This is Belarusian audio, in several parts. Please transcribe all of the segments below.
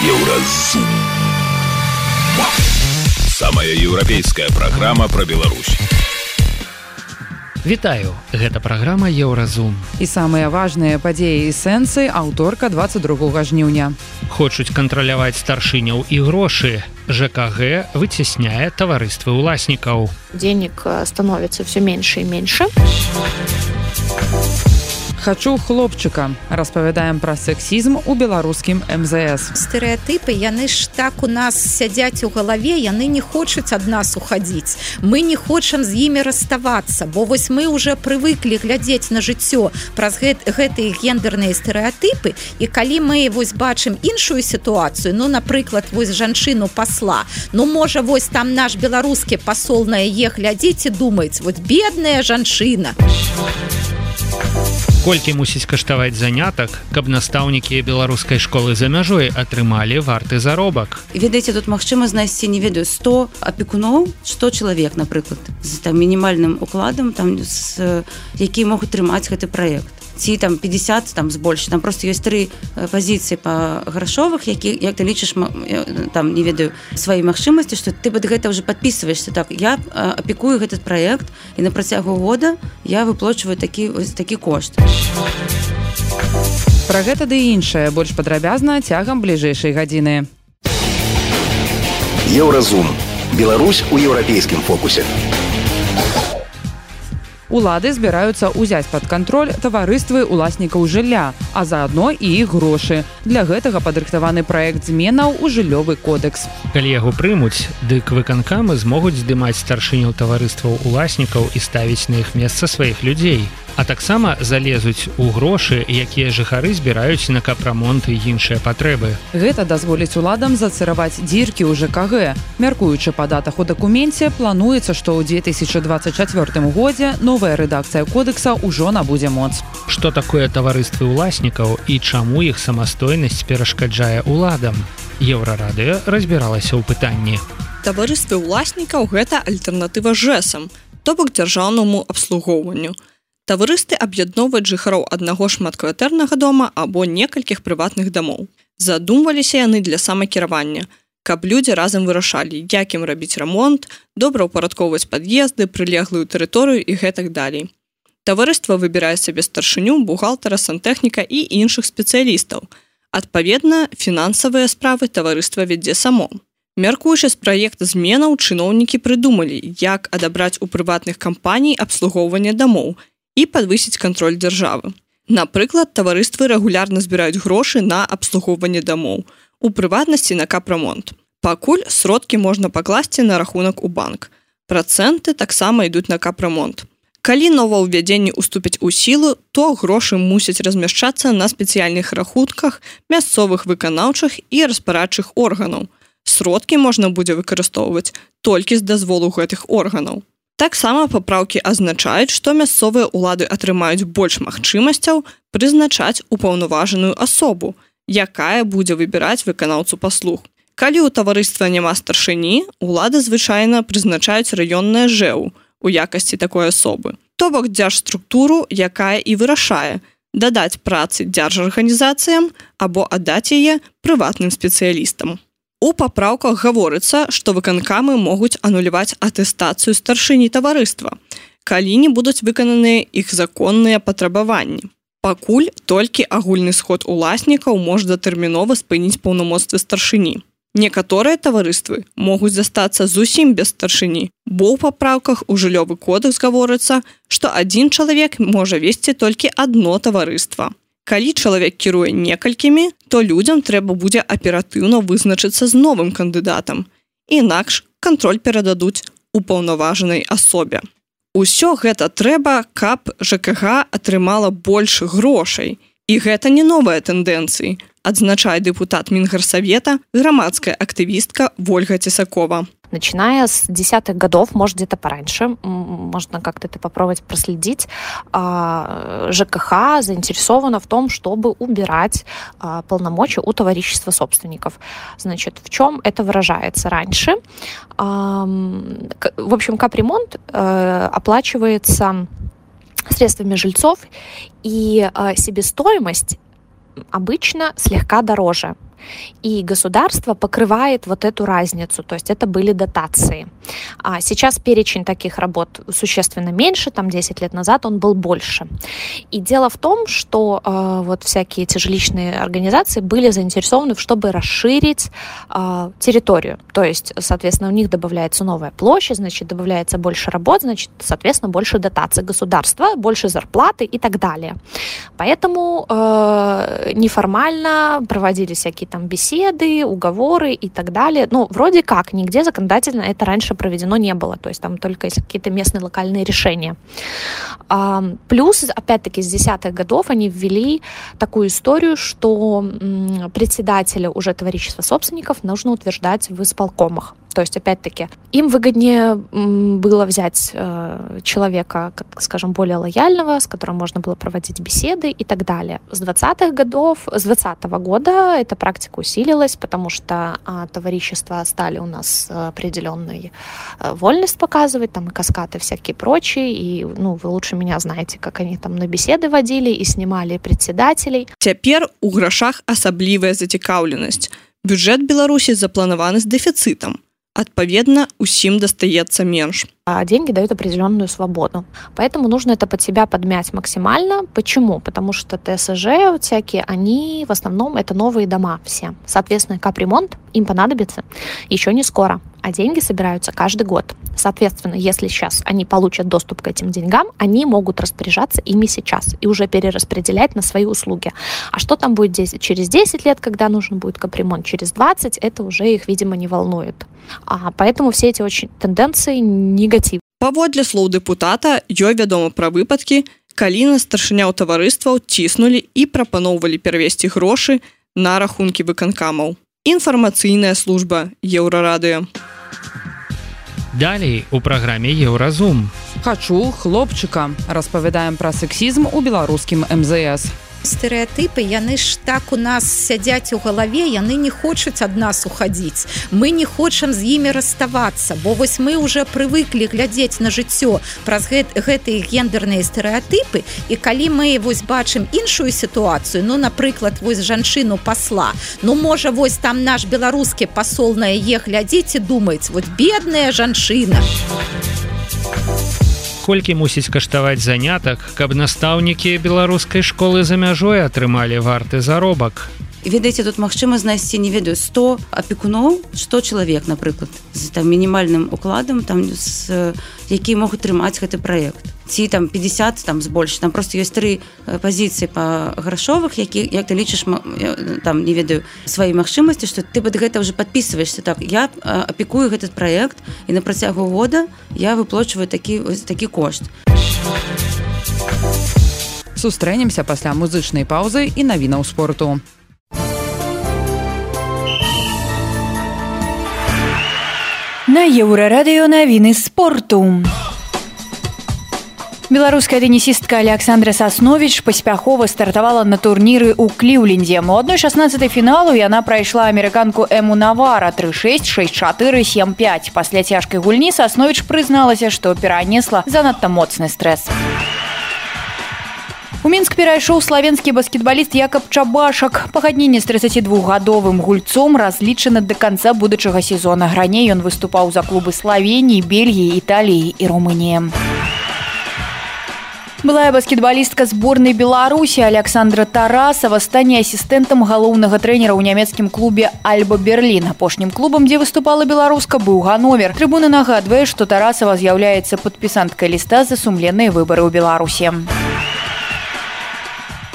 Еўразум. Самая еўрапейская праграма пра Беларусь. Вітаю, гэта праграма Еўразум. І самыя важныя падзеі і сэнсы аўторка 22 жніўня. Хочуць кантраляваць старшыняў і грошы. ЖКГ выцесняе таварыствы ўласнікаў. Денег становится все меньше и меньше. Хачу хлопчыка. Распавядаем пра сексізм у беларускім МЗС. Стэрэатыпы, яны ж так у нас сядзяць у галаве, яны не хочуць ад нас уходзіць. Мы не хочам з імі расставацца, бо вось мы уже прывыклі глядзець на жыццё праз гэтыя гендерныя стэрэатыпы, і калі мы вось бачым іншую сітуацыю, ну, напрыклад, вось жанчыну пасла, ну, можа, вось там наш беларускі пасол на яе глядзіць і думаць, вось бедная жанчына. Колькі мусіць каштаваць занятак, каб настаўнікі беларускай школы за мяжой атрымалі варты заробак? Ведаеце, тут магчыма знайсці, не ведаю, 100 апекуноў, 100 чалавек, напрыклад, з там мінімальным укладам, там, які могуць трымаць гэты праект. Ці там 50, там збольш, там просто ёсць 3 пазіцыі па грашовых, як ты лічыш, там, не ведаю, свае магчымасці, што ты пад гэта ўжо падпісваешся. Так, я апекую гэты праект, і на працягу года я выплачваю такі кошт. Пра гэта ды іншае больш падрабязна цягам бліжэйшай гадзіны. Еўразум. Беларусь у еўрапейскім фокусе. Улады збіраюцца ўзяць пад кантроль таварыствы ўласнікаў жылля, а заадно і іх грошы. Для гэтага падрыхтаваны праект зменаў у жыллёвы кодэкс. Калі яго прымуць, дык выканкамы змогуць здымаць старшыняў таварыстваў уласнікаў і ставіць на іх месца сваіх людзей. А таксама залезуць у грошы, якія жыхары збіраюць на капрамонт і іншыя патрэбы. Гэта дазволіць уладам зацыраваць дзіркі ў ЖКГ. Мяркуючы па датах у дакуменце, плануецца, што ў 2024 годзе новая рэдакцыя кодекса ўжо набудзе моц. Што такое таварыствы ўласнікаў і чаму іх самастойнасць перашкаджае уладам? Еўрарадыё разбіралася ў пытанні. Таварыствы ўласнікаў – гэта альтэрнатыва ЖЭСам, то бок дзяржаўнаму абслугоўванню. Таварысты аб'ядноўваюць жыхароў аднаго шматкватэрнага дома або некалькіх прыватных дамоў. Задумваліся яны для самакіравання, каб людзі разам вырашалі, як ім рабіць рамонт, добраўпарадкоўваць пад'езды, прылеглую тэрыторыю і гэтак далей. Таварыства выбірае сабе старшыню, бухгалтара, сантэхніка і іншых спецыялістаў. Адпаведна, фінансавыя справы таварыства вядзе само. Мяркуючы з праекта зменаў, чыноўнікі прыдумалі, як адабраць у прыватных кампаній абслугоўванне дамоў і падвысіць кантроль дзяржавы. Напрыклад, таварыствы рэгулярна збіраюць грошы на абслугоўванне дамоў, у прыватнасці на капрамонт. Пакуль сродкі можна пакласці на рахунак у банк. Працэнты таксама ідуць на капрамонт. Калі новаўвядзенні уступяць у сілу, то грошы мусяць размяшчацца на спецыяльных рахунках мясцовых выканаўчых і распарадчых органаў. Сродкі можна будзе выкарыстоўваць толькі з дазволу гэтых органаў. Таксама папраўкі азначаюць, што мясцовыя ўлады атрымаюць больш магчымасцяў прызначаць упаўнаважаную асобу, якая будзе выбіраць выканаўцу паслуг. Калі ў таварыства няма старшыні, улады звычайна прызначаюць раённае ЖЭУ у якасці такой асобы. То бок дзяржструктуру, якая і вырашае дадаць працы дзяржарганізацыям або аддаць яе прыватным спецыялістам. У папраўках гаворыцца, што выканкамы могуць ануляваць атэстацыю старшыні таварыства, калі не будуць выкананыя іх законныя патрабаванні. Пакуль толькі агульны сход уласнікаў можа датэрмінова спыніць паўнамоцтвы старшыні. Некаторыя таварыствы могуць застацца зусім без старшыні, бо ў папраўках у жыллёвы кодэкс гаворыцца, што адзін чалавек можа весці толькі адно таварыства. Калі чалавек кіруе некалькімі, то людзям трэба будзе аператыўна вызначыцца з новым кандыдатам. Інакш кантроль перададуць упаўнаважанай асобе. Усё гэта трэба, каб ЖКГ атрымала больш грошай. І гэта не новыя тэндэнцыі, адзначае дэпутат Мінгарсавета, грамадская актывістка Вольга Тесакова. Начиная с 10-х годов, может, где-то пораньше, можно как-то это попробовать проследить, ЖКХ заинтересована в том, чтобы убирать полномочия у товарищества собственников. Значит, в чем это выражается раньше? В общем, капремонт оплачивается средствами жильцов, и себестоимость обычно слегка дороже. и государство покрывает вот эту разницу, то есть это были дотации. А сейчас перечень таких работ существенно меньше, там 10 лет назад он был больше. И дело в том, что вот всякие эти жилищные организации были заинтересованы, чтобы расширить территорию, то есть, соответственно, у них добавляется новая площадь, значит, добавляется больше работ, значит, соответственно, больше дотаций государства, больше зарплаты и так далее. Поэтому неформально проводили всякие там беседы, уговоры и так далее. Ну, вроде как, нигде законодательно это раньше проведено не было, то есть там только есть какие-то местные локальные решения. Плюс, опять-таки, с 10-х годов они ввели такую историю, что председателя уже товарищества собственников нужно утверждать в исполкомах. То есть, опять-таки, им выгоднее было взять человека, скажем, более лояльного, с которым можно было проводить беседы и так далее. С 20-го года эта практика усилилась, потому что товарищества стали у нас определенную вольность показывать, там и каскады всякие прочие, и вы лучше меня знаете, как они там на беседы водили и снимали председателей. Цяпер у грашах асаблівая зацікаўленасць. Бюджэт Беларусі запланаваны з дэфіцытам. Адпаведна, усім дастаецца менш. Деньги дают определенную свободу. Поэтому нужно это под себя подмять максимально. Почему? Потому что ТСЖ всякие, они в основном это новые дома все. Соответственно, капремонт им понадобится еще не скоро, а деньги собираются каждый год. Соответственно, если сейчас они получат доступ к этим деньгам, они могут распоряжаться ими сейчас и уже перераспределять на свои услуги. А что там будет через 10 лет, когда нужен будет капремонт, через 20, это уже их, видимо, не волнует. Поэтому все эти очень тенденции негативны. Паводле слоў дэпутата, ёй вядома пра выпадкі, калі на старшыняў таварыстваў ціснулі і прапаноўвалі перавесці грошы на рахункі выканкамаў. Інфармацыйная служба Еўрарадыё. Далей у праграме Еўразум. Хачу хлопчыка. Распавядаем пра сексізм у беларускім МЗС. Стэрэатыпы, яны ж так у нас сядзяць у галаве, яны не хочуць ад нас уходить. Мы не хочам з імі расставацца, бо вось мы уже прывыклі глядзець на жыццё праз гэтыя гендерныя стэрэатыпы, і калі мы вось бачым іншую сітуацыю, напрыклад, вось жанчыну пасла, можа, вось там наш беларускі пасол на яе глядзіць і думаць, вось бедная жанчына. Колькі мусіць каштаваць занятак, каб настаўнікі беларускай школы за мяжой атрымалі варты заробак? Ведаеце, тут магчыма знайсці, не ведаю, 100 апекуноў, 100 чалавек, напрыклад, з мінімальным укладам, які могуць трымаць гэты праект. Ці 50, збольш. Там просто ёсць 3 пазіцыі па грашовых, як ты лічыш, не ведаю, свае магчымасці, што ты пад гэта ўжо падпісваешся. Так, я апекую гэты праект, і на працягу года я выплачваю такі кошт. Сустрэнемся пасля музычнай паўзы і навінаў спорту. На Еўрарадыё навіны спорту. Беларуская тэнісістка Александра Сасновіч паспяхова стартавала на турніры ў Кліўлендзе. У 1/16 фіналу яна прайшла амерыканку Эму Навара 3-6, 6-4, 7-5. Пасля цяжкай гульні Сасновіч прызналася, што перанесла занадта моцны стрэс. У Мінск перайшоў славенскі баскетбаліст Якаб Чабашак. Пагадненне з 32-гадовым гульцом разлічана да канца будучага сезона. Раней ён выступаў за клубы Славеніі, Бельгіі, Італіі і Румыніі. Былая баскетбалістка зборнай Беларусі Александра Тарасава стане асістэнтам галоўнага трэнера ў нямецкім клубе Альба Берлін. Апошнім клубам, дзе выступала беларуска, быў Гановер. Трыбуна нагадвае, што Тарасава з'яўляецца падпісанткай ліста за сумленныя выбары ў Беларусі.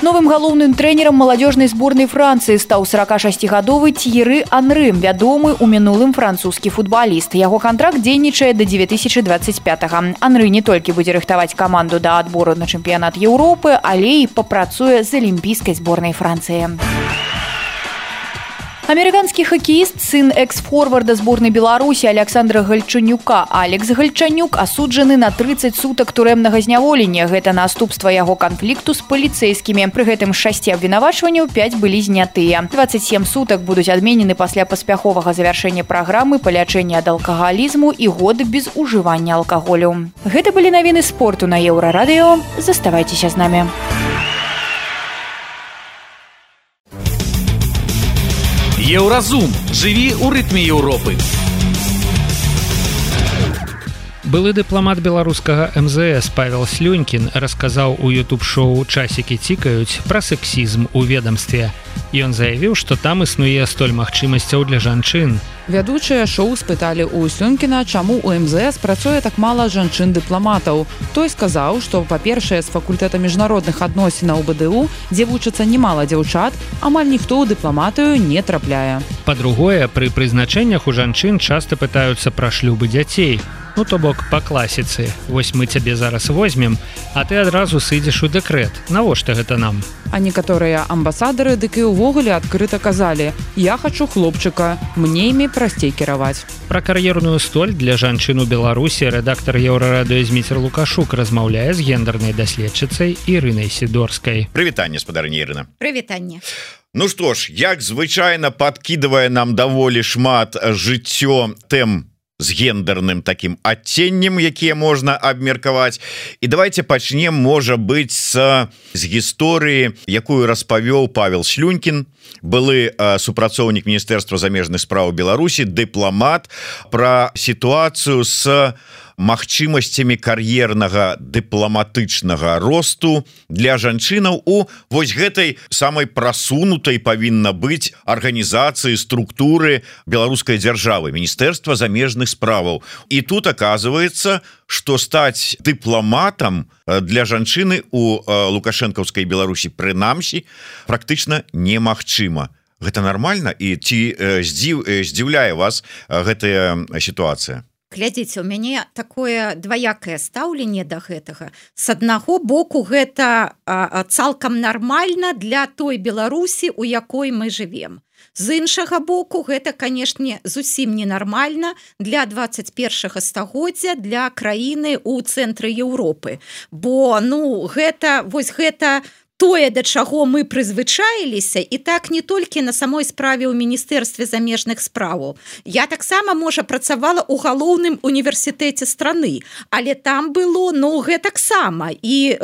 Новым галоўным трэнерам маладзёжнай зборнай Францыі стаў 46-гадовы Тьеры Анры, вядомы ў мінулым французскі футбаліст. Яго кантракт дзейнічае да 2025-го. Анры не толькі будзе рыхтаваць каманду да адбору на чэмпіянат Еўропы, але і папрацуе з алімпійскай зборнай Францыі. Амерыканскі хакеіст, сын экс-форварда зборнай Беларусі Александра Гальчанюка Алекс Гальчанюк асуджаны на 30 сутак турэмнага зняволення. Гэта наступства яго канфлікту з паліцэйскімі. Пры гэтым з 6 абвінавачванняў 5 былі знятыя. 27 сутак будуць адменены пасля паспяховага завяршэння праграмы па лячэнні ад алкагалізму і год без ужывання алкаголю. Гэта былі навіны спорту на Еўрарадыё. Заставайцеся з намі. Еўразум. Жыві ў рытме Еўропы. Былы дыпламат беларускага МЗС Павел Слюнькін расказаў у ютуб-шоу «Часікі цікаюць» пра сексізм у ведамстве. Ён заявіў, што там існуе столь магчымасцяў для жанчын. Вядучыя шоу спыталі ў Слюнькіна, чаму у МЗС працуе так мала жанчын-дыпламатаў. Той сказаў, што, па-першае, з факультэта міжнародных адносінаў БДУ, дзе вучыцца немала дзяўчат, амаль ніхто ў дыпламатыю не трапляе. Па-другое, пры прызначэннях у жанчын часта пытаюцца пра шлюбы дзяцей. Ну, то бок, па класіцы. Вось мы цябе зараз возьмем, а ты адразу сыдзеш у дэкрэт. Навошта гэта нам? А некаторыя амбасадары дык і ўвогуле адкрыта казалі: «Я хачу хлопчыка, мне імі прасцей кіраваць». Пра кар'ерную столь для жанчын у Беларусі рэдактар Еўрарадыё Зміцер Лукашук размаўляе з гендернай даследчыцай Ірынай Сідорскай. Прывітанне, спадарыня Ірына. Прывітанне. Ну што ж, як звычайна падкідвае нам даволі шмат жыццё тэм з гендерным таким адценнем, якія можна абмеркаваць. І давайте пачнем, можа быць, з гісторыі, якую распавёў Павел Слюнькін, былы супрацоўнік Міністэрства замежных спраў Беларусі, дыпламат, пра сітуацыю з магчымасцямі кар'ернага дыпламатычнага росту для жанчынаў у вось гэтай самай прасунутай павінна быць арганізацыі, структуры беларускай дзяржавы, Міністэрства замежных справаў. І тут оказывается, што стаць дыпламатам для жанчыны у лукашэнкаўскай Беларусі прынамсі практычна немагчыма. Гэта нармальна? І ці здзіўляе вас гэтая сітуацыя? Глядзіце, у мяне такое дваякае стаўленне да гэтага. З аднаго боку, гэта цалкам нармальна для той Беларусі, у якой мы жывем. З іншага боку, гэта, канешне, зусім ненармальна для 21 стагоддзя, для краіны ў цэнтры Еўропы. Бо, гэта тое, да чаго мы прызвычаіліся, і так не толькі на самой справе ў Міністэрстве замежных справаў. Я таксама, можа, працавала ў галоўным універсітэце страны, але там было, гэтаксама. І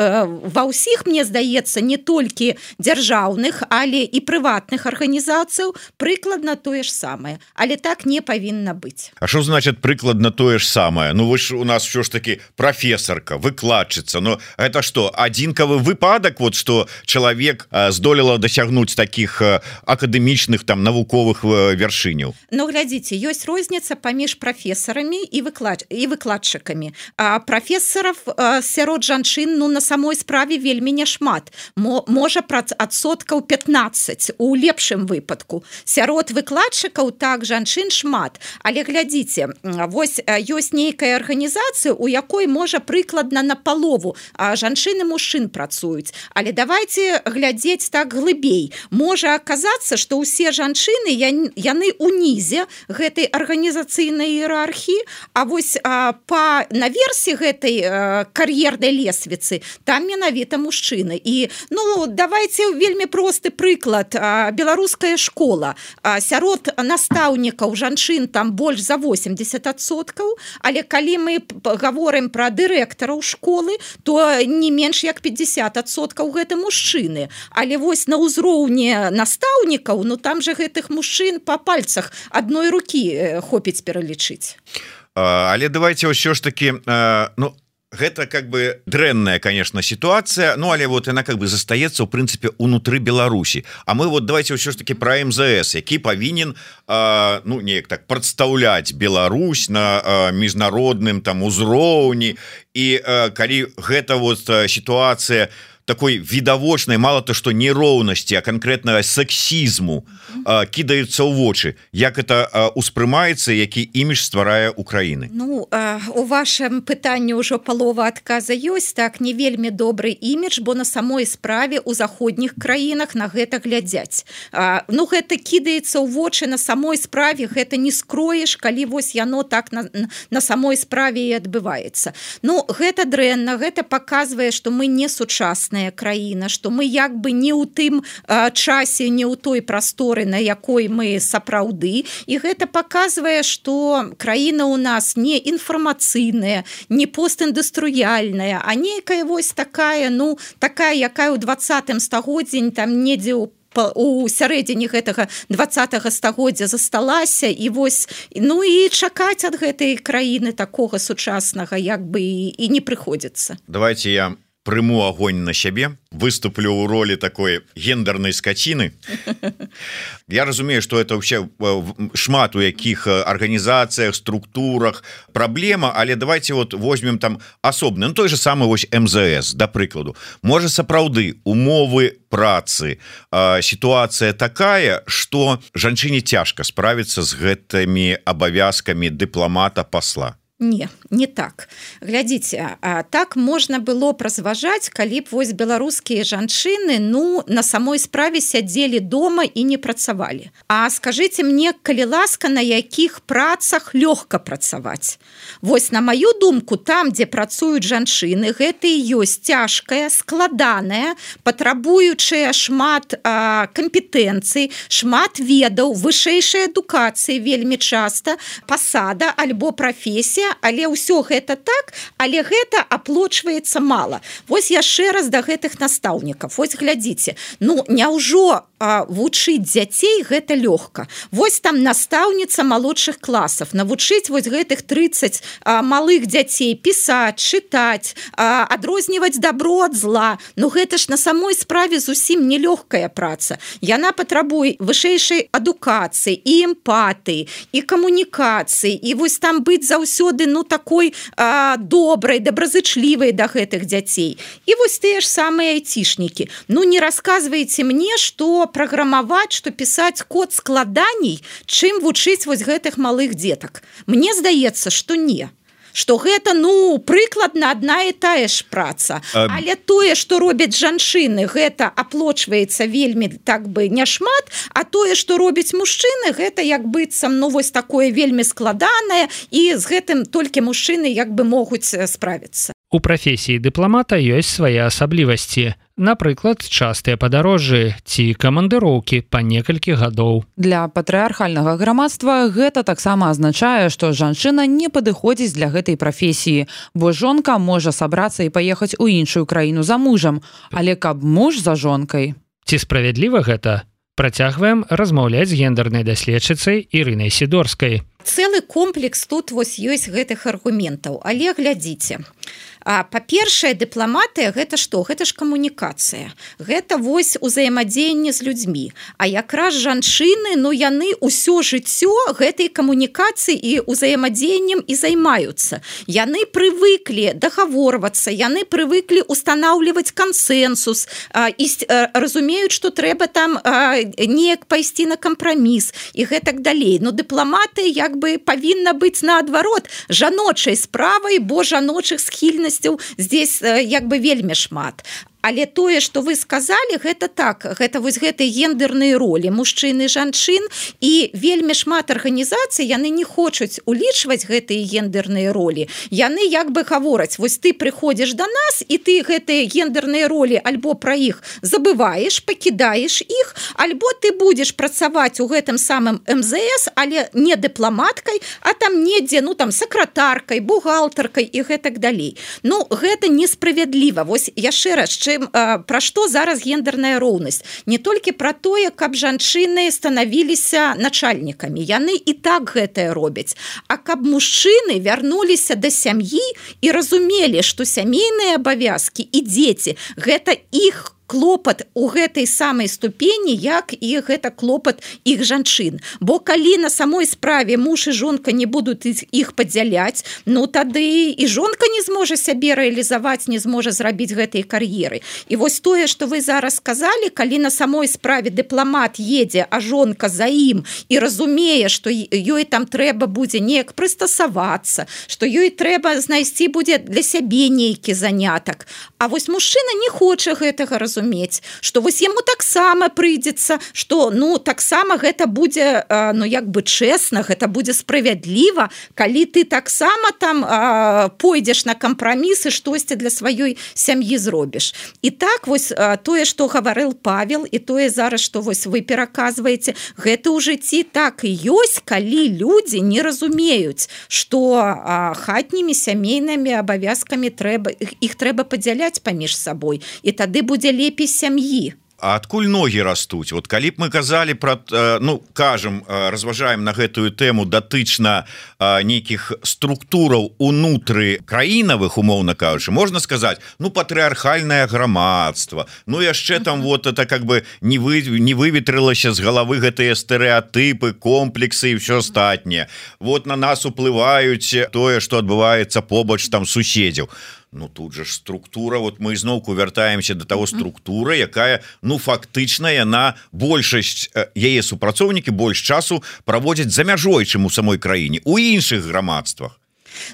ва ўсіх, мне здаецца, не толькі дзяржаўных, але і прыватных арганізацыяў прыкладна тое ж самае. Але так не павінна быць. А што значыць прыкладна тое ж самае? Вы ж у нас ўсё ж таки прафесарка, выкладчыца. Гэта што, адзінкавы выпадак, вот што чалавек здолела дасягнуць таких акадэмічных там навуковых вяршыняў? Глядзіце, ёсць розніца паміж прафесарамі і выкладчыкамі. Прафесараў сярод жанчын на самой справе вельмі няшмат. Можа, адсоткаў 15 у лепшым выпадку. Сярод выкладчыкаў так жанчын шмат. Але глядзіце, вось ёсць нейкая арганізацыя, у якой можа прыкладна напалову жанчын і мужчын працуюць. Але давайте глядзець так глыбей. Можа аказацца, што ўсе жанчыны яны унізе гэтай арганізацыйнай іерархіі, а вось наверсе гэтай кар'ернай лесвіцы там менавіта мужчыны. І давайте вельмі просты прыклад. Беларуская школа. Сярод настаўнікаў жанчын там больш за 80%, але калі мы гаворым пра дырэктараў школы, то не менш як 50% гэта мужчыны. Але вось на ўзроўні настаўнікаў, там же гэтых мужчын па пальцах адной рукі хопіць пералічыць. Але давайте ўсё ж таки, гэта как бы дрэнная, конечно, ситуация, але вот она как бы застаецца, в принципе, унутры Беларусі. А мы вот давайте ўсё ж таки про МЗС, які павінен неяк так прадстаўляць Беларусь на міжнародным там узроўні. І калі гэта вот ситуация такой відавочнай, мало то что нероўнасці, а конкретно сексізму кідаюцца ў вочы, як это успрымаецца, які імідж стварае Украіны? У вашым пытанні ўжо палова адказа ёсць. Так, не вельмі добры імідж, бо на самой справе ў заходніх краінах на гэта глядзяць. Гэта кідаецца ў вочы на самой справе, гэта не скроеш, калі вось яно так на самой справе і адбываецца. Гэта дрэнна, гэта паказвае, што мы не сучасная краіна, што мы як бы не ў тым часе, не ў той прасторы, на якой мы сапраўды. І гэта паказвае, што краіна ў нас не інфармацыйная, не постіндустрыяльная, а нейкая вось такая, якая ў 20 стагоддзі там недзе ў у сярэдзіне гэтага 20-го стагоддзя засталася і вось ну і чакаць ад гэтай краіны такога сучаснага як бы і не прыходзіцца. Давайте я прыму огонь на сябе, выступлю ў ролі такой гендернай скаціны. Я разумею, что это вообще шмат у якіх арганізацыях, структурах праблема, але давайте вот возьмем там асобны, ну той же самый вось МЗС, да прыкладу. Можа сапраўды умовы працы, сітуацыя такая, что жанчыне цяжка справіцца з гэтымі абавязкамі дыпламата, пасла. Не так. Глядзіце, так можна было б разважаць, калі б вось беларускія жанчыны ну на самой справе сядзелі дома і не працавалі. А скажыце мне, калі ласка, на якіх працах лёгка працаваць? Вось на маю думку, там, дзе працуюць жанчыны, гэта і ёсць цяжкая, складаная, патрабуючая шмат кампетэнцый, шмат ведаў, вышэйшай адукацыі вельмі часта, пасада альбо прафесія, але ўсё гэта так, але гэта аплочваецца мала. Вось яшчэ раз да гэтых настаўнікаў. Вось глядзіце, ну няўжо вучыць дзяцей гэта лёгка. Вось там настаўніца малодшых класаў, навучыць вось гэтых 30 малых дзяцей пісаць, чытаць, адрозніваць добро ад зла. Ну гэта ж на самой справе зусім нелёгкая праца. Яна патрабуе вышэйшай адукацыі і эмпатыі, і камунікацыі, і вось там быць заўсёды ну такой добрай, добразычлівай да гэтых дзяцей. І вось тыя ж самыя айцішнікі. Ну не расказвайце мне, што праграмаваць, што пісаць код складаней, чым вучыць вось гэтых малых дзетак. Мне здаецца, што не. Што гэта, ну, прыкладна адна і тая ж праца. Але тое, што робяць жанчыны, гэта аплочваецца вельмі так бы няшмат, а тое, што робяць мужчыны, гэта як быццам, ну, вось такое вельмі складанае, і з гэтым толькі мужчыны як бы могуць справіцца. У прафесіі дыпламата ёсць свае асаблівасці. Напрыклад, частыя падарожжы ці камандыроўкі па некалькі гадоў. Для патрыархальнага грамадства гэта таксама азначае, што жанчына не падыходзіць для гэтай прафесіі, бо жонка можа сабрацца і паехаць у іншую краіну за мужам, але каб муж за жонкай. Ці справядліва гэта? Працягваем размаўляць з гендернай даследчыцай Ірынай Сідорскай. Цэлы комплекс тут вось ёсць гэтых аргументаў, але глядзіце. Па-першае, дыпламатыя гэта што? Гэта ж камунікацыя. Гэта вось узаемадзеянне з людзьмі. А якраз жанчыны, ну яны ўсё жыццё гэтай камунікацыі і узаемадзеяннем і займаюцца. Яны прывыклі дагаворвацца, яны прывыклі устанаўліваць кансэнсус і разумеюць, што трэба там неяк пайсці на кампраміс і гэтак далей. Но дыпламатыя як бы павінна быць наадварот жаночай справай, бо жаночых схільнасцяў здесь як бы вельмі шмат. Але тое, што вы сказалі, гэта так, гэта вось гэтыя гендерныя ролі мужчын і жанчын, і вельмі шмат арганізацый, яны не хочуць улічваць гэтыя гендерныя ролі. Яны як бы гавораць, вось ты прыходзіш да нас, і ты гэтыя гендерныя ролі альбо пра іх забываеш, пакідаеш іх, альбо ты будзеш працаваць у гэтым самым МЗС, але не дыпламаткай, а там недзе, ну там сакратаркай, бухгалтаркай і гэтак далей. Ну, гэта несправядліва. Вось яшчэ раз, пра што зараз гендерная роўнасць? Не толькі пра тое, каб жанчыны станавіліся начальнікамі. Яны і так гэтае робяць. А каб мужчыны вярнуліся да сям'і і разумелі, што сямейныя абавязкі і дзеці – гэта іх клопат у гэтай самай ступені, як і гэта клопат іх жанчын. Бо калі на самой справе муж і жонка не будуць іх падзяляць, ну тады і жонка не зможа сябе рэалізаваць, не зможа зрабіць гэтай кар'еры. І вось тое, што вы зараз сказалі, калі на самой справе дыпламат едзе, а жонка за ім і разумее, што ёй там трэба будзе неяк прыстасавацца, што ёй трэба знайсці будзе для сябе нейкі занятак. А вось мужчына не хоча гэтага разумець, што вось яму таксама прыйдзецца, што ну таксама гэта будзе ну як бы чэсна, гэта будзе справядліва, калі ты таксама там пойдзеш на кампрамісы, штосьці для сваёй сям'і зробіш. І так вось тое, што гаварыў Павел, і тое зараз, што вось вы пераказваеце, гэта ў жыцці так і ёсць, калі людзі не разумеюць, што хатнімі сямейнымі абавязкамі іх трэба падзяляць паміж сабой, і тады будзе лепей сям'і. А адкуль ногі растуць? Вот калі б мы казалі про, ну, кажам, разважаем на гэтую тэму датычна нейкіх структураў унутры краінавых, умоўна кажучы, можна сказаць, ну, патрыархальнае грамадства, ну, яшчэ там вот это как бы не выветрылася з галавы гэтыя стэрэатыпы, комплексы і ўсё астатняе. Вот на нас уплываюць тое, што адбываецца побач там суседзяў. Ну тут же ж структура, вот мы зноўку вяртаемся до того структуры, якая, ну, фактычна яна большасць яе супрацоўнікі больш часу праводзяць за мяжой, чым у самой краіне, у іншых грамадствах.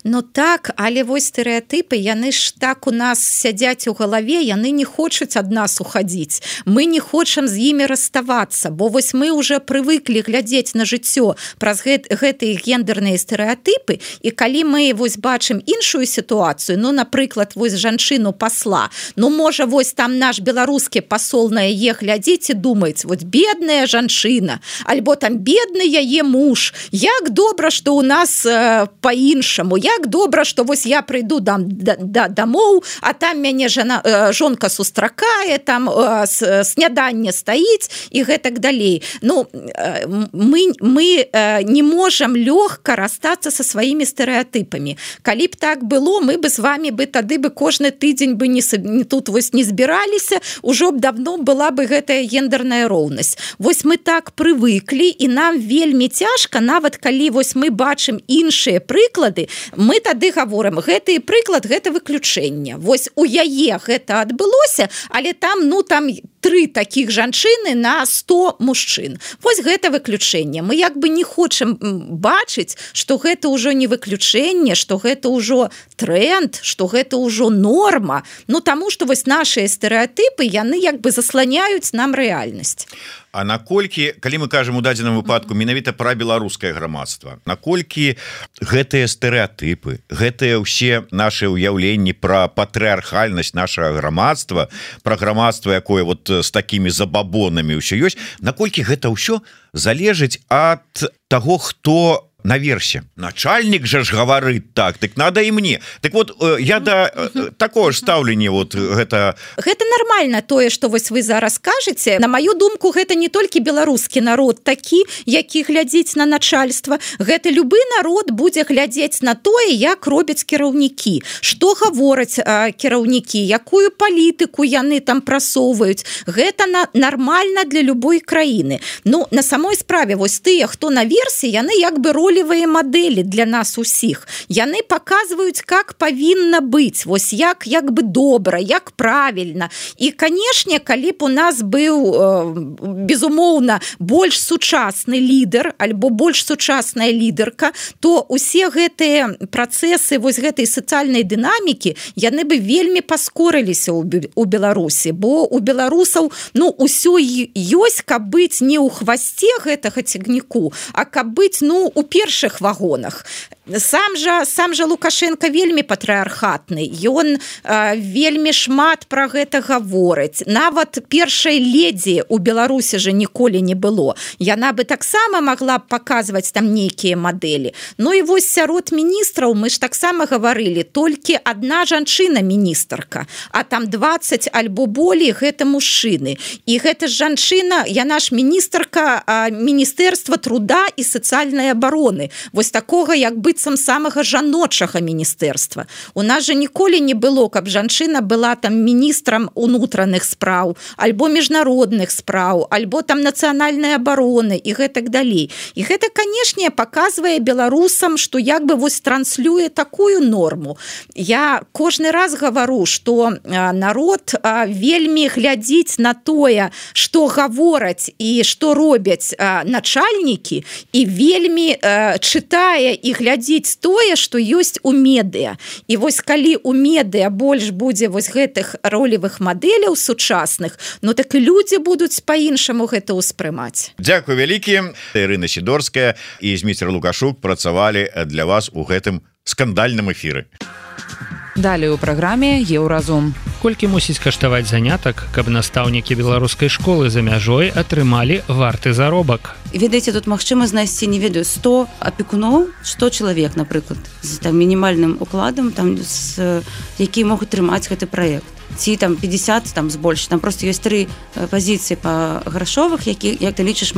Ну так, але вось стэрэатыпы, яны ж так у нас сядзяць у галаве, яны не хочуць ад нас ухадзіць. Мы не хочам з імі раставацца, бо вось мы уже прывыклі глядзець на жыццё праз гэтыя гендерныя стэрэатыпы, і калі мы вось бачым іншую сітуацыю, ну, напрыклад, вось жанчыну пасла, ну, можа, вось там наш беларускі пасол на яе глядзіць і думаць, вот бедная жанчына, альбо там бедны яе муж, як добра, што у нас па-іншаму, як добра, што вось я прыйду дамоў, а там мяне жонка сустракае, там сняданне стаіць і гэтак далей. Ну, мы не можам лёгка расстацца са сваімі стэрэатыпамі. Калі б так было, мы бы з вами тады кожны тыдзень бы тут вось не збіраліся, ужо б давно была бы гэтая гендерная роўнасць. Вось мы так прывыклі, і нам вельмі цяжка, нават калі вось мы бачым іншыя прыклады, мы тады гаворым, гэты прыклад, гэта выключэнне. Вось у яе гэта адбылося, але там, ну, там 3 такіх жанчыны на 100 мужчын. Вось гэта выключэнне. Мы як бы не хочам бачыць, што гэта ўжо не выключэнне, што гэта ўжо тренд, што гэта ўжо норма. Ну, таму што вось нашыя стэрэатыпы, яны як бы засланяюць нам рэальнасць. А наколькі, калі мы кажам у дадзеным выпадку менавіта пра беларускае грамадства, наколькі гэтыя стэрэатыпы, гэтыя ўсе нашы ўяўленні пра патрыархальнасць нашага грамадства, пра грамадства, якое вот з такімі забабонамі ўсё ёсць, наколькі гэта ўсё залежыць ад таго, хто наверсе. Начальник же ж говорит так надо и мне. Так вот, я да такого ж стаўлення вот гэта нормально тое, што вось вы зараз кажаце. На маю думку, гэта не толькі беларускі народ такі, які глядзіць на начальства. Гэта любы народ будзе глядзець на тое, як робяць кіраўнікі, што гавораць кіраўнікі, якую палітыку яны там прасоўваюць. Гэта нормально для любой краіны. Ну, на самой справе, вось тыя, хто наверсе, яны як бы ролевыя мадэлі для нас усіх. Яны паказваюць, как павінна быць, вось як бы добра, як правільна. І, канешне, калі б у нас быў, безумоўна, больш сучасны лідар, альбо больш сучасная лідарка, то усе гэтыя працэсы вось гэтай сацыяльнай дынамікі, яны бы вельмі паскорыліся у Беларусі, бо у беларусаў, ну, усё ёсць, каб быць не ў хвасце гэтага цягніку, а каб быць, ну, у першых вагонах. Сам жа Лукашенко вельмі патрыархатны, ён вельмі шмат пра гэта гаворыць. Нават першай ледзі у Беларусі же ніколі не было. Яна бы таксама магла б паказваць там нейкія мадэлі. Ну і вось сярод міністраў мы ж таксама гаварылі, толькі адна жанчына міністрка, а там 20 альбо болей гэта мужчыны. І гэта ж жанчына, яна ж міністрка Міністэрства труда і сацыяльнай абароны. Вось такога, як быццам самага жаночага міністэрства. У нас же ніколі не было, каб жанчына была там міністрам унутраных спраў, альбо міжнародных спраў, альбо там нацыянальнай абароны і гэтак далей. І гэта, канешне, паказвае беларусам, што як бы вось транслюе такую норму. Я кожны раз гавару, што народ вельмі глядзіць на тое, што гавораць і што робяць начальнікі, і вельмі чытае і глядзіць тое, што ёсць у медыа. І вось калі у медыа больш будзе вось гэтых ролевых мадэляў сучасных, ну так і людзі будуць па-іншаму гэта ўспрымаць. Дзякуй вялікі. Ірына Сідорская і Зміцер Лукашук працавалі для вас у гэтым скандальным эфіры. Далее у праграме Еўразум. Колькі мусіць каштаваць занятак, каб настаўнікі беларускай школы за мяжой атрымалі варты заробак? Ведаеце, тут магчыма знайсці, не ведаю, 100 апекуноў, 100 чалавек, напрыклад, з там мінімальным укладам, там, які могуць трымаць гэты праект. ці там 50 там збольш, там просто ёсць 3 пазіцыі па грашовых, як ты лічыш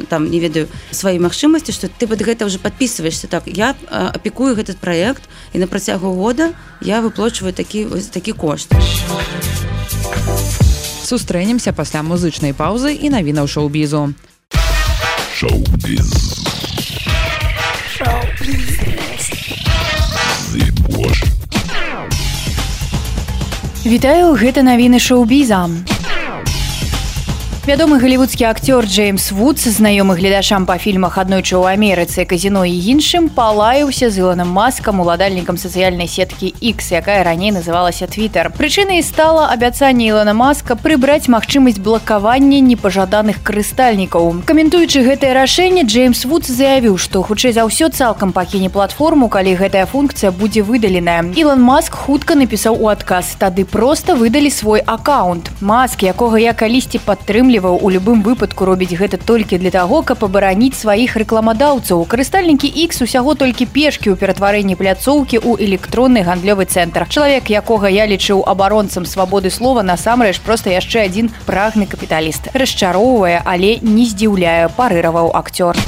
там, не ведаю, свае магчымасці, што ты пад гэта ўжо падпісваешся. Так, я апекую этот праект, і на працягу года я выплачваю такі кошт. Сустрэнемся пасля музычнай паўзы і навінаў шоу-бізу. Шоу-біз. Вітаю, гэта навіны шоу-біза. Вядомы галівудскі акцёр Джеймс Вудс, знаёмы гледачам па фільмах «Аднойчы ў Амерыцы», «Казіно» і іншым, палаяўся з Ілоном Маскам, уладальнікам сацыяльнай сеткі X, якая раней называлася Twitter. Прычынай стала абяцанне Ілона Маска прыбраць магчымасць блакавання непажаданых карыстальнікаў. Каментуючы гэтае рашэнне, Джеймс Вудс заявіў, што хутчэй за ўсё цалкам пакіне платформу, калі гэтая функцыя будзе выдаленая. Ілон Маск хутка напісаў у адказ: «Тады проста выдалі свой аккаунт». Маск, якога я калісьці падтрымліваў, у любым выпадку робіць гэта толькі для таго, каб абараніць сваіх рэкламадаўцаў. Карыстальнікі X усяго толькі пешкі ў ператварэнні пляцоўкі ў электронны гандлёвы цэнтр. Чалавек, якога я лічыў абаронцам свабоды слова, насамрэч проста яшчэ адзін прагны капіталіст. Расчароўвае, але не здзіўляе, парыраваў акцёр.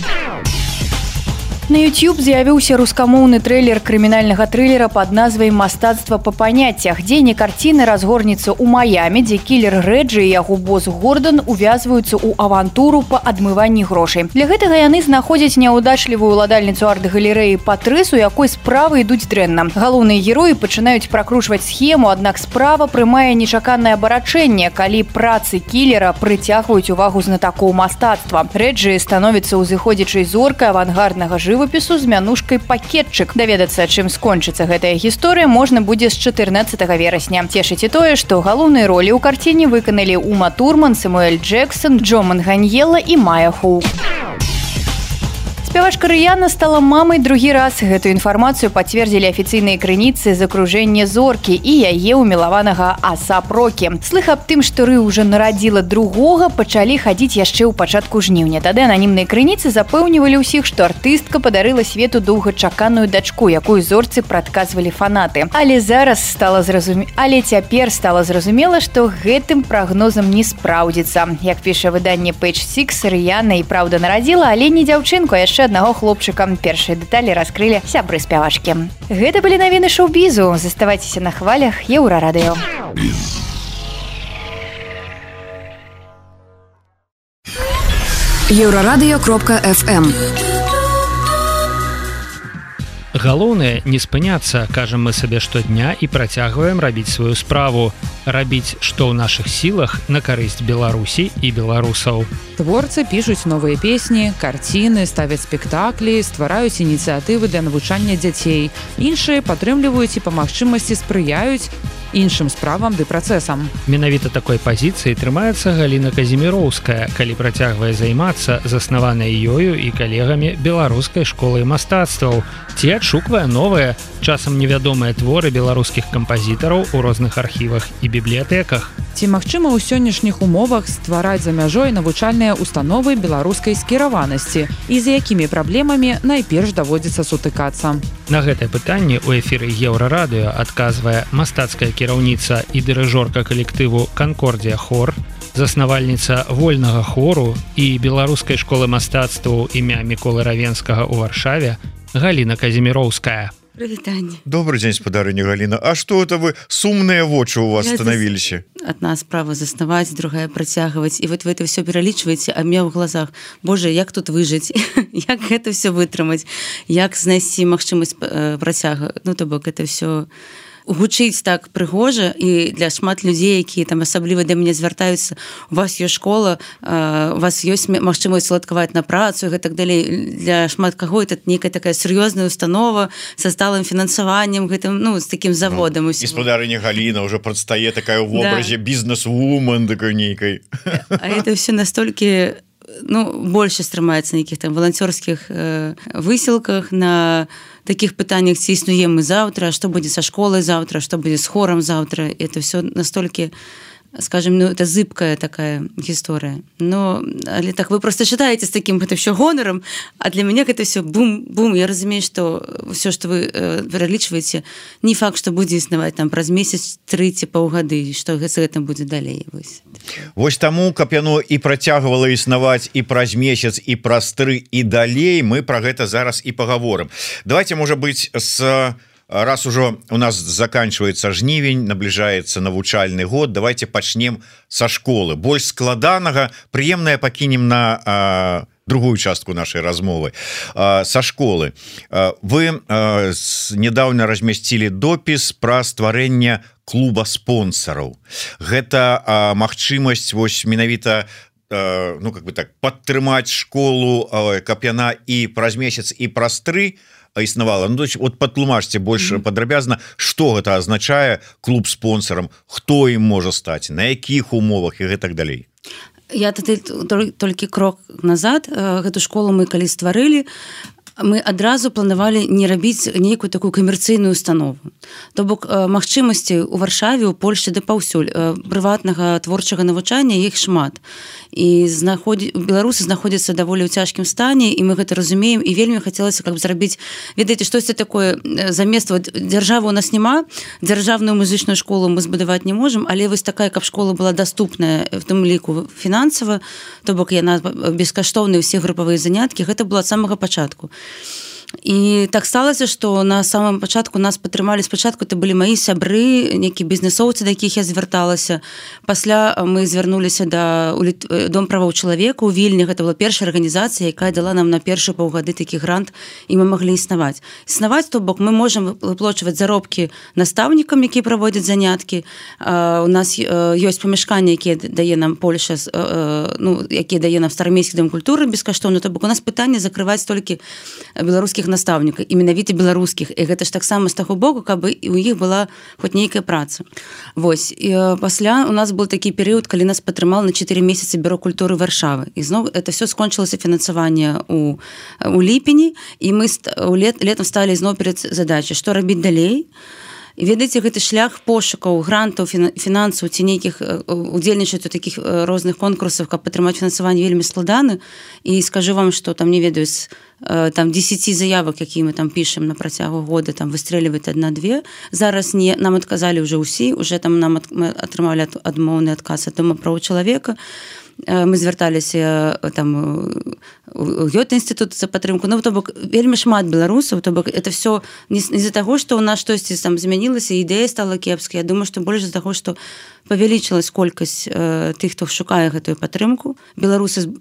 На YouTube з'явіўся рускамоўны трэйлер крымінальнага трылера пад назвай «Мастацтва па паняццях». Дзейнік карціны разгорнецца ў Маямі, дзе кілер Рэджы і яго босс Гордан увязваюцца ў авантуру па адмыванні грошай. Для гэтага яны знаходзяць няўдачлівую ўладальніцу арт-галерэі Патрыс, у якой справы ідуць дрэнна. Галоўныя героі пачынаюць пракручваць схему, аднак справа прымае нечаканае абарачэнне, калі працы кілера прыцягваюць увагу знатакоў мастацтва. Рэджы становіцца ўзыходзячай зоркай авангарднага жывапісу з мянушкай «Пакетчык». Даведацца, чым скончыцца гэтая гісторыя, можна будзе з 14 верасня. Цешыць і тое, што галоўныя ролі ў карціне выканалі Ума Турман, Сэмуэль Джексон, Джо Манганьела і Майя Хоу. Спявачка Рыяна стала мамай другі раз. Гэтую інфармацыю пацвердзілі афіцыйныя крыніцы з акружэння зоркі і яе ўмілаванага А$ап Рокі. Слых аб тым, што Ры ўжо нарадзіла другога, пачалі хадзіць яшчэ ў пачатку жніўня. Тады ананімныя крыніцы запэўнівалі ўсіх, што артыстка падарыла свету доўгачаканую дачку, якую зорцы прадказвалі фанаты. Але цяпер стала зразумела, што гэтым прагнозам не спраўдзіцца. Як піша выданне Page Six, Рыяна і праўда нарадзіла, але не дзяўчынку, а яшчэ аднаго хлопчыка. Першыя дэталі раскрылі сябры спявачкі. Гэта былі навіны шоу-бізу. Заставайцеся на хвалях Еўрарадыё. Еўрарадыё.фм. Галоўнае не спыняцца, кажам мы сабе штодня і працягваем рабіць сваю справу. Рабіць, што ў нашых сілах на карысць Беларусі і беларусаў. Творцы пішуць новыя песні, карціны, ставяць спектаклі, ствараюць ініцыятывы для навучання дзяцей. Іншыя падтрымліваюць і па магчымасці спрыяюць іншым справам ды працэсам. Менавіта такой пазіцыі трымаецца Галіна Казіміроўская, калі працягвае займацца заснаванай ёю і калегамі беларускай школы мастацтваў, ці адшуквае новыя, часам невядомыя творы беларускіх кампазітараў у розных архівах і бібліятэках. Ці магчыма ў сённяшніх умовах ствараць за мяжой навучальныя установы беларускай скіраванасці і з якімі праблемамі найперш даводзіцца сутыкацца? На гэтае пытанне ў эфіры Еўрарадыё адказвае мастацкая кіраўніца і дырыжорка калектыву «Канкордія Хор», заснавальніца вольнага хору і беларускай школы мастацтваў імя Міколы Равенскага ў Варшаве Галіна Казіміроўская. Прывітанне. Добрый дзень, спадарыня Галіна. А што это вы сумныя вочы у вас станавіліся? Адна справа заснаваць, другая працягваць. І вот вы это все пералічваеце, а мне ў глазах: Боже, як тут выжыць? Як гэта все вытрымаць? Як знайсці магчымасць працяга? Ну, то бок, это все гучыць так прыгожа, і для шмат людзей, якія там асабліва да мяне звяртаюцца: у вас ёсць школа, у вас ёсць магчымасць уладкаваць на працу і так далей. Для шмат каго это нейкая такая сур'ёзная установа са сталым фінансаваннем, гэтым, ну, з такім заводам. І спадарыня Галіна ўжо прадстае такая ў вобразе бізнес-вумен такой нейкай. А это все настолькі, ну, больше стрымаецца на нейкіх там валанцёрскіх высілках, на таких пытаннях, ці існуем мы заўтра, што будзе са школай заўтра, што будзе з хорам заўтра. Это все настолькі скажем, ну, это зыбкая такая гісторыя. Но, але так, вы просто читаете с таким это все гонором, а для меня это все бум-бум. Я разумею, что все, что вы пералічваеце, не факт, что будзе існаваць там праз месяц, 3 ці паўгады, што з гэтым будзе далей. Вось таму, каб яно і працягвала існаваць і праз месяц, і праз 3, і далей, мы про гэта зараз і паговорым. Давайте, можа быць, раз ужо у нас заканчивается жнівень, набліжаецца навучальны год, давайте пачнем са школы. Больш складанага, прыемнае пакінем на другую частку нашай размовы. Са школы. Вы недавно размясцілі допіс пра стварэнне клуба спонсораў. Гэта магчымасць вось менавіта, ну, как бы так, падтрымаць школу, каб яна і праз месяц, і праз 3 існавала. Ну, вот патлумачце больш падрабязна, што гэта азначае клуб спонсорам, хто ім можа стаць, на якіх умовах і гэтак далей. Я толькі крок назад. Гэту школу мы калі стварылі, мы адразу планавалі не рабіць нейкую такую камерцыйную установу. То бок магчымасці ў Варшаве, у Польшчы да паўсюль прыватнага творчага навучання іх шмат. І беларусы знаходзяцца даволі ў цяжкім стане, і мы гэта разумеем, і вельмі хацелася каб зрабіць, ведаеце, штосьці такое замест дзяржавы у нас няма, дзяржаўную музычную школу мы збудаваць не можам, але вось такая, каб школа была даступная в тым ліку фінансава, то бок яна бескаштоўныя ўсе групавыя заняткі, гэта было ад самага пачатку. І так сталася, што на самом пачатку нас падтрымалі. Спачатку это былі маі сябры, нейкія бізнесоўцы, да якіх я звярталася. Пасля мы звярнуліся да Дом правоў чалавека ў Вільні. Гэта была першая арганізацыя, якая дала нам на першы паўгады такі грант, і мы маглі існаваць. Існаваць, то бок мы можам выплачваць заробкі настаўнікам, якія праводзяць заняткі. У нас ёсць памяшканні, якія дае нам Польша, ну, якія дае нам Старамейскі дом культуры бескаштоўна. То бок у нас пытанне закрываць толькі беларускіх настаўнікаў, і менавіта беларускіх. І гэта ж таксама з таго боку, каб у іх была хоць нейкая праца. Вось. І пасля у нас был такі перыяд, калі нас падтрымала на 4 месяцы бюро культуры Варшавы. І зноў это все скончылася фінансаванне у ліпені, і мы летом сталі зноў перад задачай, што рабіць далей. І ведаеце, гэты шлях пошукаў грантаў, фінансаў ці нейкіх удзельнічаць у такіх розных конкурсах, каб падтрымаць фінансаванне, вельмі складаны. І скажу вам, што там, не ведаю, там 10 заявак, якія мы там пішем на працягу года, там выстрэліваць 1-2. Зараз нам адказалі ўжо ўсі, уже там мы атрымалі адмоўны адказ ад Дома правоў чалавека. Мы звярталіся там у Гёте-інстытут за падтрымку. Ну, то бок, вельмі шмат беларусаў, то бок, это все не з-за таго, што ў нас штосьці там змянілася, ідэя стала кепская. Я думаю, што больш з-за таго, што павялічылась колькасць тых, хто шукае гэтую падтрымку. Беларусы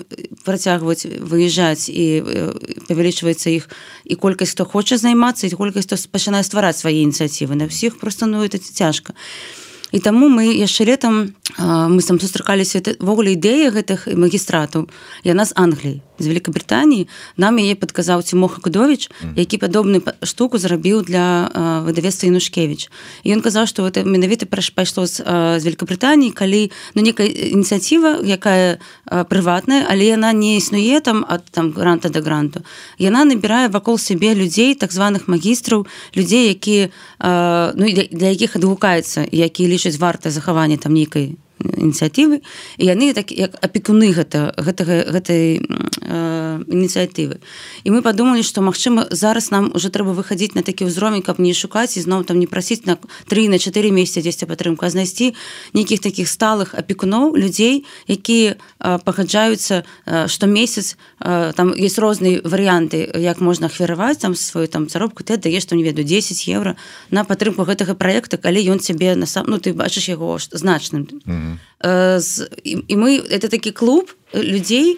працягваюць выязджаць, і павялічваецца іх і колькасць, хто хоча займацца, і колькасць, хто пачынае ствараць свае ініцыятывы. На ўсіх проста, ну, это цяжка. І таму мы яшчэ летам мы там сустракаліся, ввогуле ідэя гэтых магістратаў, яна з Англіі, з Великабрытаніі. Нам яе падказаў Цімоха Кудовіч, які падобную штуку зрабіў для выдавецтва Янушкевіч. І ён казаў, што гэта менавіта пайшло з Великабрытаніі, калі, ну, некая ініцыятыва, якая прыватная, але яна не існуе там ад там гранта да гранту. Яна набірае вакол сябе людзей, так званых магістраў, людзей, якія, ну, для якіх адгукаецца, якія лічаць варта захавання там нейкай ініцыятывы, і яны так як апекуны гэтай ініцыятывы. І мы падумалі, што, магчыма, зараз нам уже трэба выхадзіць на такі ўзровень, каб не шукаць і зноў там не прасіць на 3-4 месяцы дзесьці падтрымку, а знайсці нейкіх такіх сталых апекуноў, людзей, якія пагаджаюцца штомесяц. Там ёсць розныя варыянты, як можна ахвяраваць там сваю там заробку. Ты даеш, там, не ведаю, 10 евро на падтрымку гэтага праекта, калі ён цябе ну, ты бачыш яго значным. І мы, это такі клуб людзей,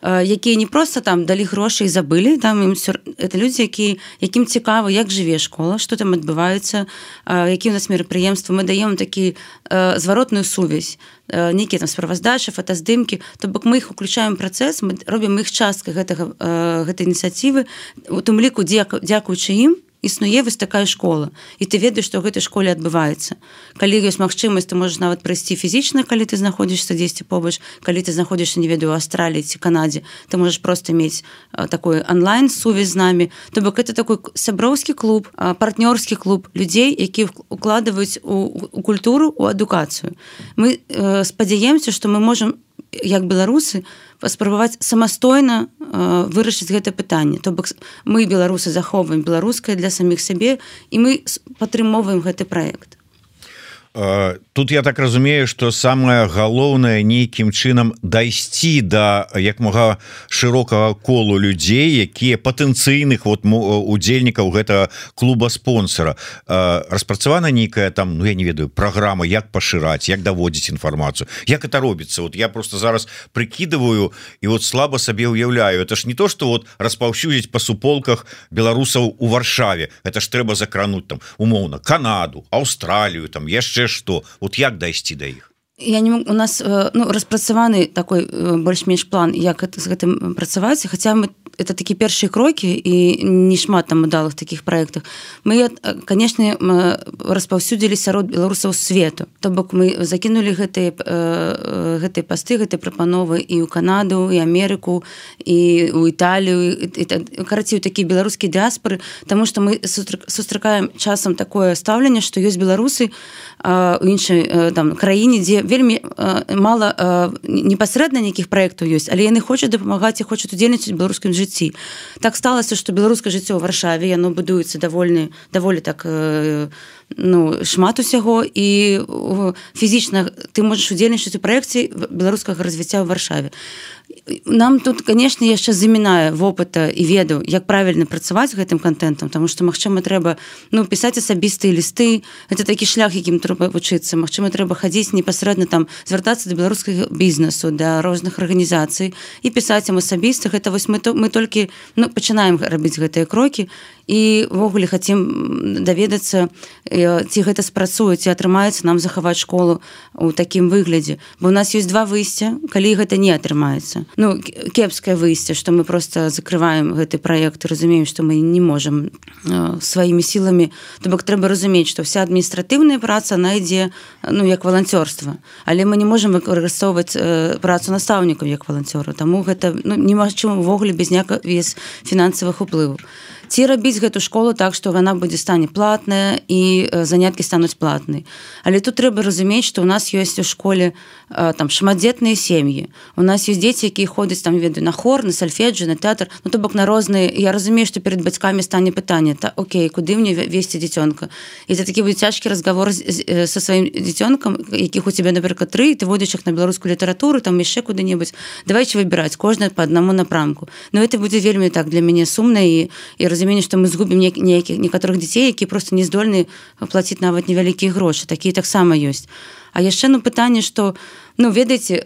якія не проста там далі грошы і забылі, там это людзі, якім цікава, як жыве школа, што там адбываецца, якія у нас мерапрыемствы. Мы даем такі зваротную сувязь, нейкія там справаздачы, фотаздымкі, то бок мы іх уключаем працэс, мы робім іх часткай гэтай ініцыятывы, у тым ліку дзякуючы ім існуе вось такая школа, і ты ведаеш, што ў гэтай школе адбываецца. Калі ёсць магчымасць, ты можаш нават прыйсці фізічна, калі ты знаходзішся дзесьці побач, калі ты знаходзішся, не ведаю, у Аўстраліі ці Канадзе, ты можаш проста мець такой онлайн-сувязь з намі. То бок это такой сяброўскі клуб, партнёрскі клуб людзей, якія укладваюць у культуру, у адукацыю. Мы спадзяемся, што мы можам як беларусы паспрабаваць самастойна вырашыць гэта пытанне. То бок мы беларусы захоўваем беларускае для саміх сябе і мы падтрымоўваем гэты праект. Тут я так разумею, что самое галоўнае нейкім чынам дайсці да як мага шырокага колу людзей, якія патэнцыйных удзельнікаў гэтага клуба спонсора. Распрацавана нейкая там, я не ведаю, праграма, як пашыраць, як даводзіць інфармацыю, як это робіцца. Я просто зараз прыкідываю і слаба сабе уяўляю. Это ж не то, что распаўсюдзіць па суполках беларусаў у Варшаве. Это ж трэба закрануць там умоўна Канаду, Аўстралію, там яшчэ что, як дайсці да іх? Я не могу, у нас распрацаваны такой больш-менш план, як з гэтым працаваць, хаця мы это такія першыя крокі і не шмат там удалых такіх праектах. Мы, конечно, распаўсюдзілі сярод беларусаў свету. То бок мы закінулі гэтыя пасты, гэтыя прапановы і ў Канаду, і Амерыку, і ў Італію, карацей, такія беларускія дыаспоры, таму што мы сустракаем часам такое стаўленне, што ёсць беларусы у іншай краіне, дзе вельмі мала непасрэдна нейкіх праектаў ёсць, але яны хочуць дапамагаць і хочуць удзельнічаць у беларускім жыцці. Так сталася, што беларускае жыццё ў Варшаве, яно будуецца даволі так шмат усяго, і фізічна ты можаш удзельнічаць у праекце беларускага развіцця ў Варшаве. Нам тут, конечно, яшчэ замінае вопыта і веду, як правільна працаваць з гэтым контентам, таму што, магчыма, трэба пісаць асабістыя лісты, это такі шлях, якім трэба вучыцца, магчыма, трэба хадзіць непасрэдна там, звяртацца да беларускага бізнесу, да розных арганізацый і пісаць ім асабіста. Гэта мы толькі пачынаем рабіць гэтыя крокі і ввогуле хацім даведацца, ці гэта спрацуе, ці атрымаецца нам захаваць школу ў такім выглядзе. Бо у нас ёсць два выйсця, калі гэта не атрымаецца. Кепскае выйсце, што мы просто закрываем гэты праект і разумеем, што мы не можам сваімі сіламі. То бок трэба разумець, што вся адміністратыўная праца она ідзе як валанцёрства. Але мы не можам выкарыстоўваць працу настаўнікаў як валанцёраў. Таму гэта немагчыма ўвогуле без фінансавых уплываў. Ці рабіць гэту школу так, што яна стане платная і заняткі стануць платнай. Але тут трэба разумець, што ў нас ёсць у школе шматдзетныя сем'і. У нас ёсць дзеці, якія ходзяць на хор, на сальфеджы, на тэатр, то бок на розныя. Я разумею, што перад бацькамі стане пытанне: окей, куды мне весці дзіцёнка? І это такі будзе цяжкі разговор са сваім дзіцёнкам, якіх у цябе, напрыклад, 3, ты водзіш іх на беларускую літаратуру, там яшчэ куды-небудзь. Давайце выбіраць кожнае па аднаму напрамку. Это будзе вельмі так для мяне сумна, і разуменне, што мы згубім некаторых дзяцей, якія проста не здольны плаціць нават невялікія грошы. Такія таксама ёсць. А яшчэ пытанне, што ведаеце,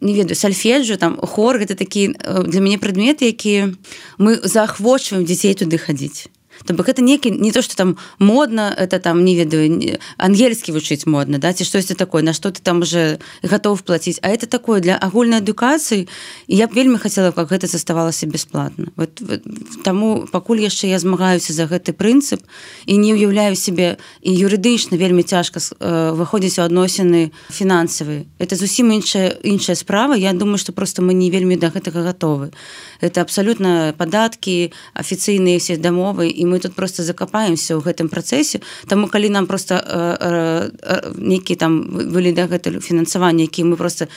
не ведаю, сальфеджу, хор, гэта такія для мяне прадметы, якія мы заахвочваем дзяцей туды хадзіць. То бок это не то, что там модно, это там, не ведаю, ангельскі вучыць модно, ці штосьці такое, на што ты там уже готов плаціць. А это такое для агульнай адукацыі, і я б вельмі хацела, каб гэта заставалася бясплатна. Таму пакуль яшчэ я змагаюся за гэты прынцып і не ўяўляю себе, і юрыдычна вельмі цяжка выходзіць у адносіны фінансавыя. Это зусім іншая справа. Я думаю, што просто мы не вельмі да гэтага гатовы. Это абсолютно падаткі, афіцыйныя все дамовы, і мы тут просто закапаемся ў гэтым працэсе. Таму калі нам просто нейкі там былі да гэтага фінансавання, які мы просто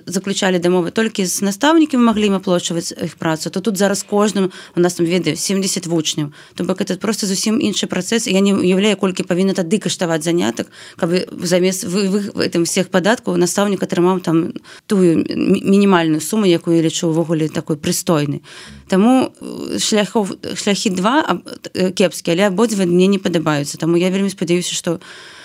заключалі дамовы толькі з настаўнікамі, маглі ім аплачваць іх працу, то тут зараз кожным у нас там ведаю 70 вучняў. То бок это просто зусім іншы працэс. Я не уяўляю, колькі павінна тады каштаваць занятак, каб замест гэтым всех падаткаў настаўнік атрымаў там тую мінімальную суму, якую я лічу ўвогуле такой прыстойнай. Таму шляхі два кепскія, але абодва мне не падабаюцца. Таму я вельмі спадзяюся, што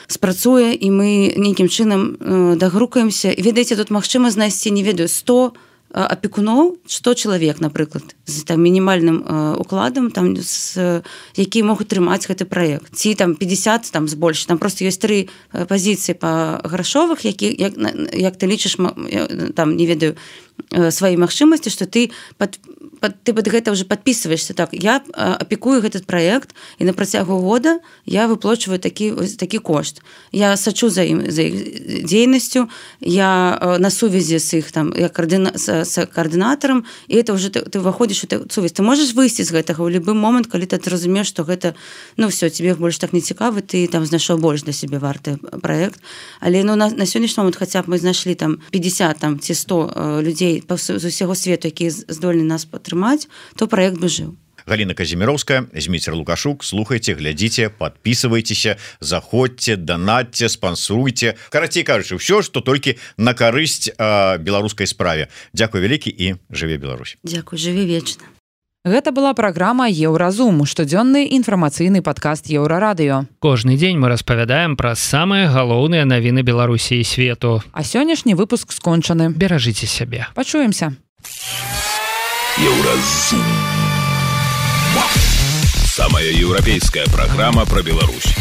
спрацуе і мы нейкім чынам дагрукаемся. І ведаеце, тут магчыма знайсці, не ведаю, 100 апекуноў, 100 чалавек, напрыклад, з мінімальным укладам, якія могуць трымаць гэты праект. Ці 50 збольш. Там просто ёсць 3 пазіцыі па грашовых, як ты лічыш, не ведаю, свае магчымасці, што ты пад гэта ўжо падпісваешся. Так, я апекую этот праект, і на працягу года я выплачваю такі кошт. Я сачу за іх дзейнасцю, я на сувязі з іх, як с координатаром, и это уже ты выходишь у сувязь. Ты можешь выйти из гэтага ў любы момент, калі ты разумееш, што гэта, ну, все, тебе больш так не цікавы, ты там знайшоў больш для себе варты праект. Але ну, на сённяшні момент хаця б мы знайшлі там 50 там, ці 100 людзей з усяго свету, якія здольны нас падтрымаць, то праект бы жыў. Галина Казимировская, Зміцер Лукашук, слухайте, глядите, подписывайтесь, заходьте, донатьте, спонсоруйте. Карацей кажучы, все, что только на карысць беларускай справе. Дякую вялікі і жыве Беларусь. Дякую, жыве вечна. Гэта была праграма Еўразум, штодзённы інфармацыйны падкаст Еўрарадыё. Кожны дзень мы распавядаем пра самыя галоўныя навіны Беларусі і свету. А сённяшні выпуск скончаны. Беражыце сябе. Пачуемся. Еўразум. Самая европейская программа про Беларусь.